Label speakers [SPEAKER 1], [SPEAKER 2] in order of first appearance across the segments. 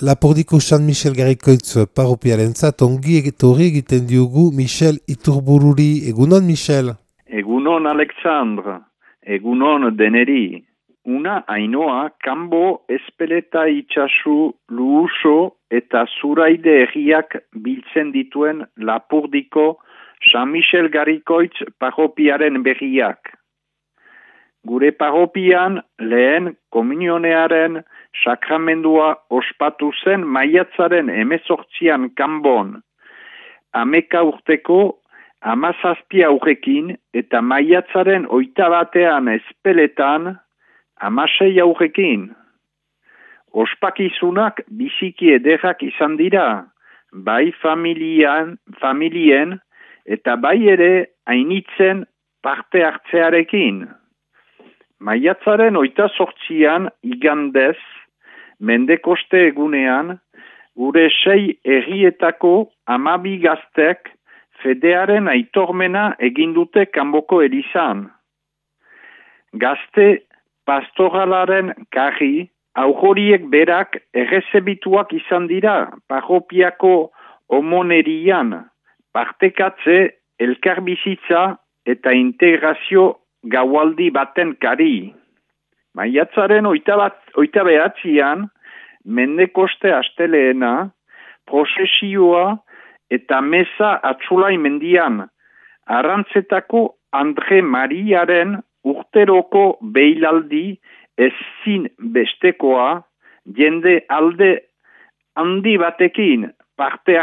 [SPEAKER 1] Lapordiko San Michel Garrikoitz paropiarentzat ongi etorri egiten diogu Michel Iturbururi. Egunon, Michel?
[SPEAKER 2] Egunon, Alexandre. Egunon, deneri. Una hainoa kanbo espeleta itxasu luuso eta zuraide herriak biltzen dituen Lapordiko San Michel Garrikoitz paropiaren berriak. Gure paropian lehen komunionearen sakramendua ospatu zen maiatzaren 18an kanbon. 11 urteko 17 aurrekin eta maiatzaren 21an espeletan 16 aurrekin. Ospakizunak biziki ederrak izan dira, bai familien eta bai ere hainitzen parte hartzearekin. Maiatzaren 28an igandez, Mendekoste egunean, gure 6 herrietako 12 gaztek fedearen aitormena egin dute kanboko elizan. Gazte pastoralaren karri, aurhoriek berak errezebituak izan dira parropiako homonerian, partekatze, elkarbizitza eta integrazio gaualdi baten kari. Maiatzaren 29an, Mendekoste asteleena, prozesioa eta meza Atzulai mendian, Arrantzetako Andre Mariaren urteroko beilaldi ezin bestekoa, jende alde handi batekin parte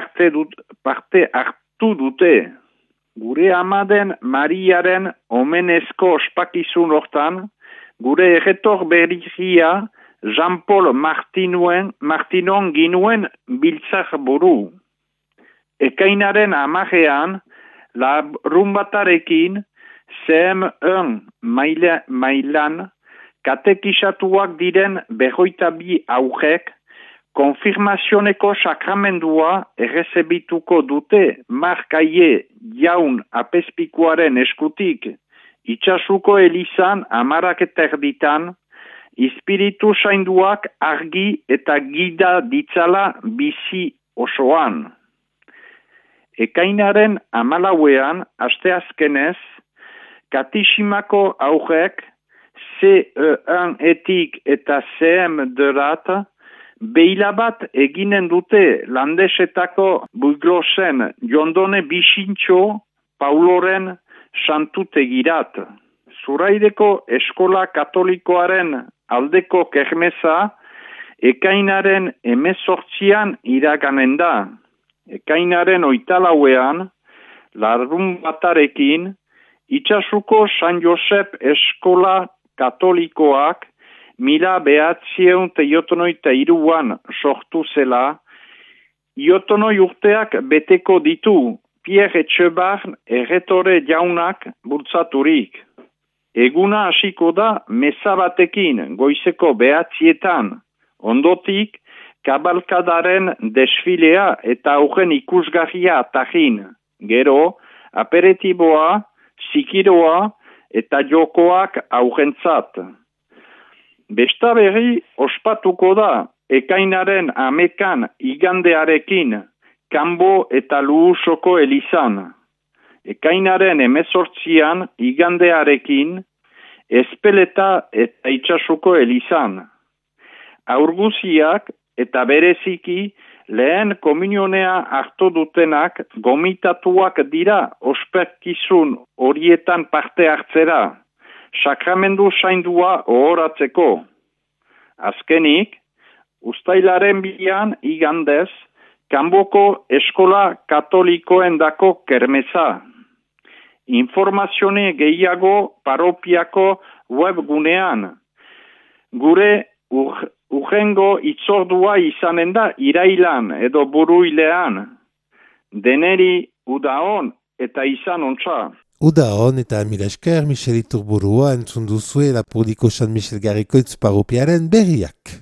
[SPEAKER 2] hartu dute. Gure amaden Mariaren omenezko ospakizun hortan, gure erretor berria Jean-Paul Martinon ginuen biltzak buru. Ekainaren 10ean, larunbatarekin CM1 mailan katekisatuak diren 22 aurrek konfirmazioneko sakramendua errezebituko dute Markaie jaun apezpikuaren eskutik itxasuko elizan 10:30 Espiritu Sainduak argi eta gida ditzala bizi osoan. Ekainaren 14ean, asteazkenez, Katisimako aurrek CE1-etik eta CM2-rat beila bat eginen dute Landesetako Buglosen Jondone Bixintxo Pauloren santutegirat. Zuraideko eskola katolikoaren aldeko kermesa ekainaren 18an iraganen da. Ekainaren 24ean, larunbatarekin, itxasuko San Josep eskola katolikoak 1993an sortu zela, iotonoi urteak beteko ditu Pierre Etxebarn erretore jaunak bultzaturik. Eguna hasiko da meza batekin goizeko 9etan, ondotik kabalkadaren desfilea eta horren ikusgarria atahin. Gero, aperitiboa, zikiroa eta jokoak aurrentzat. Besta berri ospatuko da ekainaren 11an igandearekin kanbo eta luusoko elizan. Ekainaren 18an igandearekin espeleta eta itxasuko elizan. Aurguziak eta bereziki lehen komunionea hartu dutenak gomitatuak dira ospekizun horietan parte hartzera, sakramendu saindua ohoratzeko. Azkenik, uztailaren 2an igandez, kanboko eskola katolikoendako kermesa. Informazione gehiago paropiako webgunean. Gure urrengo itzordua izanen da irailan edo buruilean. Deneri udaon eta izan ontsa.
[SPEAKER 1] Udaon eta mila esker Michel Iturburua entzun duzue Lapordiko San Michel Garrikoitz paropiaren berriak.